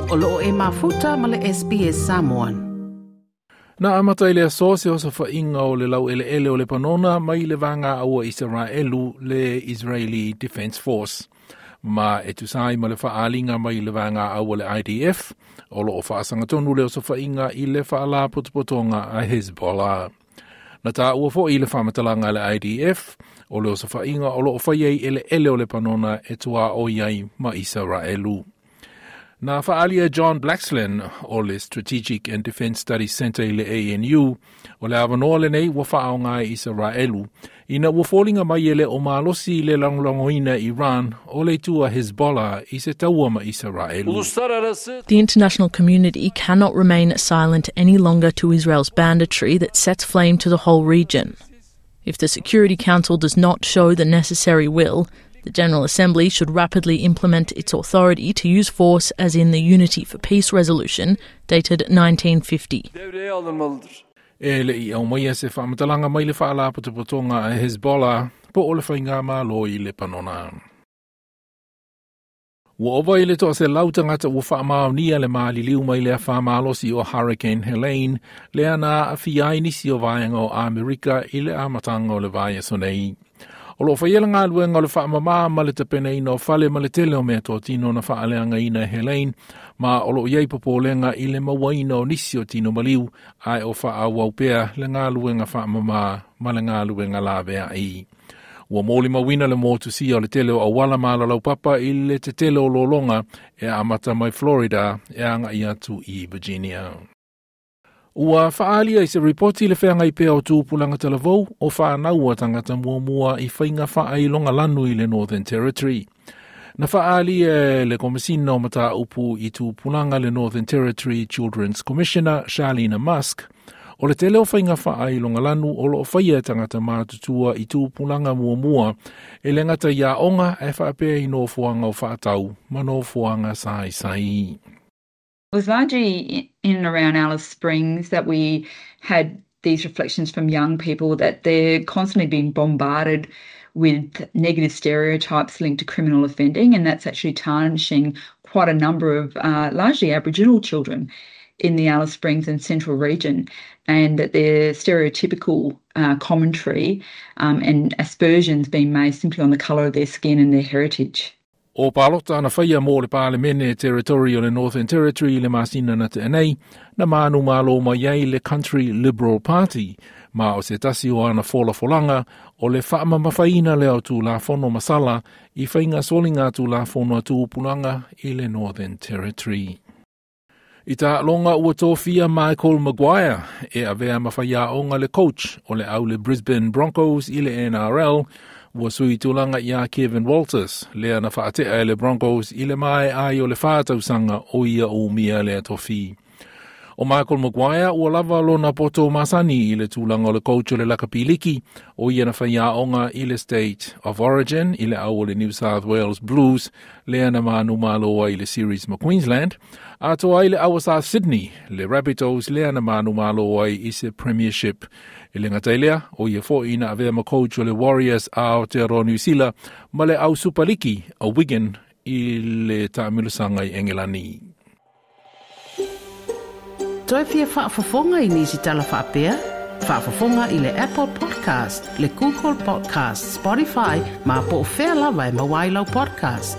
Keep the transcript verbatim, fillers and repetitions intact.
O loo e mafuta ma le S B S Samoan. Na amata i le aso se osofaiga o le laueleele o Lepanona mai le vaega aua Isaraelu le Israeli Defense Force. Ma e tusai ma le faaaliga mai le vaega aua le I D F, o loo faasagatonu le osofaiga i le faalapotopotoga a Hezbollah. Na tāua foi i le faamatalaga a le I D F, o le osofaiga o loo faia i eleele o Lepanona e tuaoi ai ma Isaraelu. Na faalia John Blaxland o le Strategic and Defence Studies Centre i le A N U, o le avanoa lenei ua faaoga e Isaraelu, ina ua foliga mai e le o malosi le lagolagoina Iran o le itu a Hezbollah i se taua ma Isaraelu. The international community cannot remain silent any longer to Israel's banditry that sets flame to the whole region. If the Security Council does not show the necessary will, the General Assembly should rapidly implement its authority to use force as in the Unity for Peace resolution dated nineteen fifty. E le i au mai se faamatalaga mai le faalapotopotoga a Hezbollah po o le faiga malo i Lepanona. Ua ova i le toaselau tagata ua faamaonia le maliliu mai le afa malosi o Hurricane Helene, lea na aafia ai nisi o vaega o Amerika i le amataga o le vaiaso nei. O loo faia le galuega o le faamamā ma le tapenaina o fale ma le tele o mea totino na faaleagaina e Helene, ma o loo iai popolega i le mauaina o nisi o tino maliu, ae o faaauau pea le galuega faamamā ma le galuega laveai. Ua molimauina le motusia o le tele o auala ma alalaupapa i le tetele o lologa e amata mai Florida e agai atu i Virginia. Ua faalia i se ripoti le feagai pea o tupulaga talavou o whānaua tangata muamua i whainga whaailonga lanu i le Northern Territory. Na faalia e le komisina o mataupu i tupulaga le Northern Territory Children's Commissioner Charlene Musk, o le tele o whainga whaailonga lanu o loo whaia tangata mātutua i tupulaga muamua e le ngata ia onga e whaapea i nofoanga o whaatau ma nofoanga saisai. It was largely in and around Alice Springs that we had these reflections from young people that they're constantly being bombarded with negative stereotypes linked to criminal offending, and that's actually tarnishing quite a number of uh, largely Aboriginal children in the Alice Springs and Central region, and that their stereotypical uh, commentary um, and aspersions being made simply on the colour of their skin and their heritage. O palota na whaia mō le Parlemene Territory o le Northern Territory le masina na te anei, na manu malo mai ai le Country Liberal Party, ma o se tasi o ana folafolanga o le whaamamafaina le au tūlafono masala i whainga solinga tūlafono a tūpulanga i le Northern Territory. I tā longa ua tōfia Michael Maguire e avea mawhaiaonga le coach o le au le Brisbane Broncos i le N R L, ua sui tulaga ia Kevin Walters, lea na faatea e le Broncos i le mae ai o le whātausanga o ia o mia lea tofi. O Michael Maguire ua lava lona poto masani i le tulaga o le coach o le lakapiliki o ia na whaiaonga i le State of Origin i le au o le New South Wales Blues lea na manu maloa i le Series ma Queensland, a toa i le aua South Sydney le Rabbitohs lea na manu maloa i se Premiership. I le ngatailea, o ia foi ina avea ma coach o le Warriors a Aotearoa New Zealand ma le au Superliki a Wigan i le taamilosaga i Engelani. Toi fia faafofoga i nisi tala faapea? Faafofoga i le Apple Podcast, le Google Podcast, Spotify, ma po o fea lava e maua ai lau podcast.